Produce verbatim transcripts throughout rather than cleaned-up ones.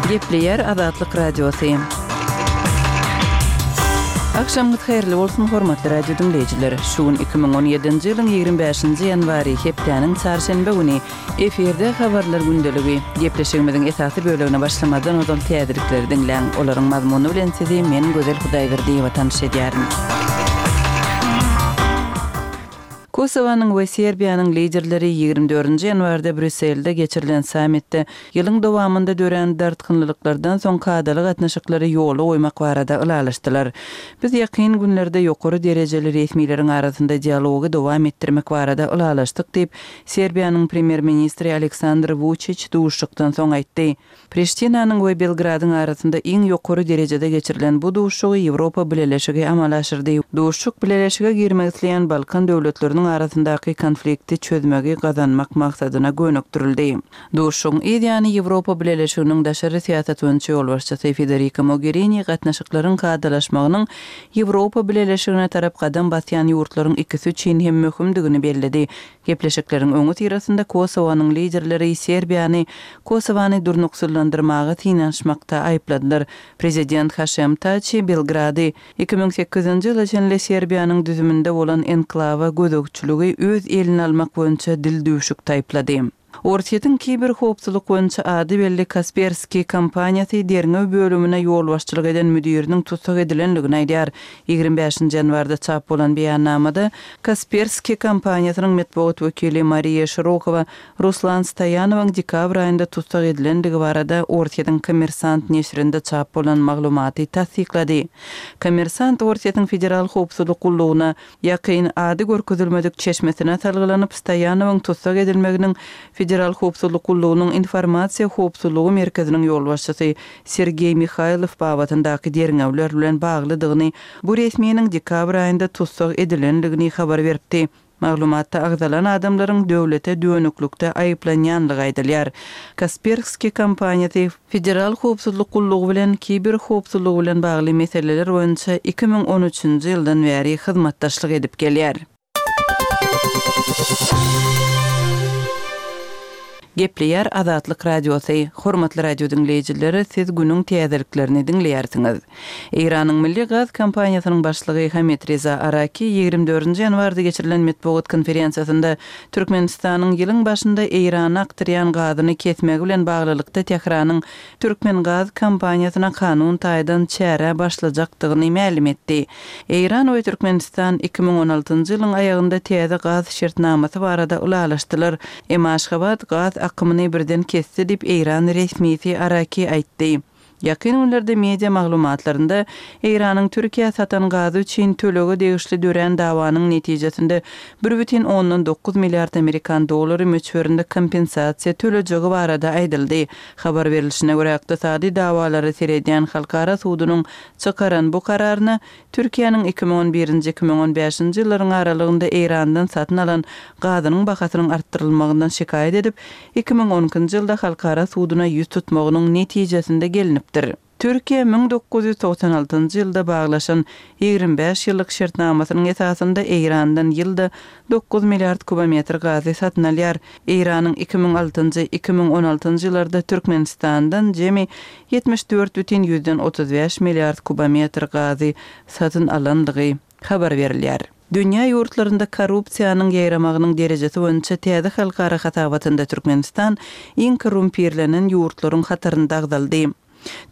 Gepleýär Azatlyk Radiosy. Agşamyňyz haýyrly bolsun, hormatly radio diňleýjiler! Şu gün iki müň on ýedinji ýylyň ýigrimi bäşinji ýanwary, hepdäniň çarşenbe güni. Efirde Habarlar gündeligi. Gepleşigimiziň esasy bölegine başlamazdan ozal täzelikleri diňläň. Olaryň mazmuny bilen sizi men Gözel Hudaýberdiýewa tanyş edýärin. Kosowanyň we Serbiýanyň liderleri ýigrimi dördünji ýanwarda Brýusselde geçirilen sammitde ýylyň dowamynda dörän dartgynlylyklardan soň kadaly gatnaşyklary ýola goýmak barada ylalaşdylar. Biz ýakyn günlerde ýokary derejeli resmileriň arasynda dialogy dowam etdirmek barada ylalaşdyk diýip, Serbiýanyň premýer-ministri Aleksandr Wuçiç duşuşykdan soň aýtdy. Priştinanyň we Belgradyň arasynda iň ýokary derejede geçirilen bu duşuşygy Ýewropa Bileleşigi amala aşyrdy. Duşuşyk Bileleşige girmek isleýän Balkan döwletleriniň arasyndaky konflikti çözmegi gazanmak maksadyna gönükdirildi. Duşuşygyň yz ýany Ýewropa Bileleşiginiň daşary syýasat boýunça ýolbaşçysy Federika Mogherini gatnaşyklaryň kadalaşmagynyň Ýewropa Bileleşigine tarap gadam basýan ýurtlaryň ikisi üçin hem möhümdigini belledi. Gepleşikleriň öňüsyrasynda Kosowanyň liderleri Serbiýany Kosowany durnuksyzlandyrmaga synanyşmakda aýypladylar. Prezident Haşem Taçi Belgrady iki müň sekizinji ýyla çenli Serbiýanyň düzüminde bolan enklawa gözegçiligi öz eline almak boýunça dildüwşük taýyplady. Orsýetiň kiberhowpsuzlyk boýunça ady belli Kaspersky kompaniýasy derňew bölümine ýolbaşçylyk eden müdiriniň tussag edilendigini aýdýar. Ýigrimi bäşinji ýanwarda çap bolan beýannamada Kaspersky kompaniýasynyň metbugat wekili Mariýa Şirokowa Ruslan Stoýanowyň dekabr aýynda tussag edilendigi barada Orsýetiň Kommersant neşirinde çap bolan maglumaty tassyklady. Kommersant Orsýetiň Federal howpsuzlyk gullugyna ýakyn ady görkezilmedik çeşmesine salgylanyp, Stoýanowyň tussag edilmeginiň Federal howpsuzlyk gullugynyň Informasiýa howpsuzlygy merkeziniň ýolbaşçysy Sergeý Mihaýlow babatyndaky derňewler bilen baglydygyny, bu resminiň dekabr aýynda tussag edilendigini habar beripdi. Maglumatda agzalan adamlaryň döwlete dönüklikde aýyplanýanlygy aýdylýar. Kaspersky kompaniýasy Federal howpsuzlyk gullugy bilen kiberhowpsuzlygy bilen bagly meseleler boýunça iki müň on üçünji ýyldan bäri hyzmatdaşlyk edip gelýär. Gepleýär Azatlyk Radiosy. Hormatly radio diňleýjiler, siz günüň täzeliklerini diňleýärsiňiz. Eýranyň Milli gaz kompaniýasynyň başlygy Hamid Reza Araki ýigrimi dördünji ýanwarda geçirilen metbugat konferensiýasynda Türkmenistanyň ýylyň başynda Eýrana akdyrýan gazyny kesmegi bilen baglylykda Tähranyň Türkmengaz kompaniýasyna kanun taýdan çäre başlajakdygyny mälim etdi. Eýran we Türkmenistan iki müň on altynjy ýylyň aýagynda täze gaz şertnamasy barada ylalaşdylar. Emma Aşgabat gaz akymyny birden kesdi diýip, Eýran resmisi Araki aýtdy. Ýakyn günlerde media maglumatlarynda Eýranyň Türkiýä satan gazy üçin tölege degişli dörän dawanyň netijesinde bir bütin ondan dokuz milliard amerikan dollary möçberinde kompensasiýa tölejegi barada aýdyldy. Habar berlişine görä, ykdysady dawalara seredýän halkara sudunyň çykaran bu kararyna Türkiýäniň iki müň on birinji, iki müň on bäşinji ýyllaryň aralygynda Eýrandan satyn alan gazynyň bahasynyň artdyrylmagyndan şikaýat edip, iki müň on ikinji ýylda halkara suduna ýüz tutmagynyň netijesinde gelinipdir. Türkiýe müň dokuz ýüz togsan altynjy ýylda baglaşan ýigrimi bäş ýyllyk şertnamasynyň esasynda Eýrandan ýylda dokuz milliard kubometr gazy satyn alýar. Eýranyň iki müň altynjy, iki müň on altynjy ýyllarda Türkmenistandan jemi ýetmiş dört bütin ýüzden otuz bäş milliard kubometr gazy satyn alandygy habar berilýär. Dünýä ýurtlarynda korrupsiýanyň ýaýramagynyň derejesi boýunça täze halkara hasabatynda Türkmenistan iň korrumpirlenen ýurtlaryň hatarynda agzaldy.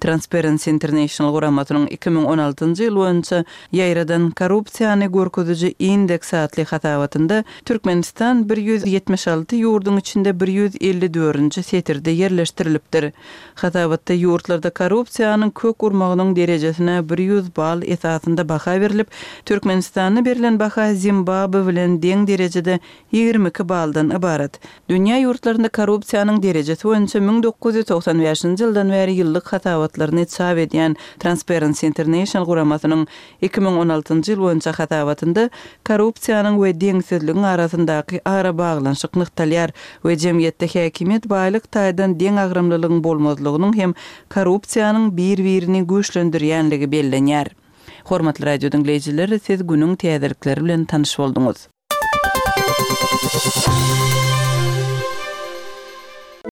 Transparency International guramasynyň iki müň on altynjy ýyl boýunça ýaýradan korrupsiýany görkeziji indeks atly hasabatynda Türkmenistan bir ýüz ýetmiş alty ýurduň içinde bir ýüz elli dördünji setirde ýerleşdirilipdir. Hasabatda ýurtlarda korrupsiýanyň kök urmagynyň derejesine bir ýüz bal esasynda baha berlip, Türkmenistanda berlen baha Zimbabwe bilen deň derejede ýigrimi iki baldan ybarat. Dünýä ýurtlarynda korrupsiýanyň derejesi boýunça müň dokuz ýüz togsan bäşinji ýyldan bäri ýyllyk hasabatlaryny çap edýän Transparency International guramasynyň iki müň on altynjy ýyl boýunça hasabatynda korrupsiýanyň we deňsizligiň arasyndaky arabaglanyşyk nygtalýar we jemgyýetde häkimiýet baýlyk taýdan deňagramlylygyň bolmazlygynyň hem korrupsiýanyň bir-birini güýçlendirýänligi bellenýär. Hormatly radio diňleýjiler, siz günüň täzelikleri bilen tanyş bolduňyz.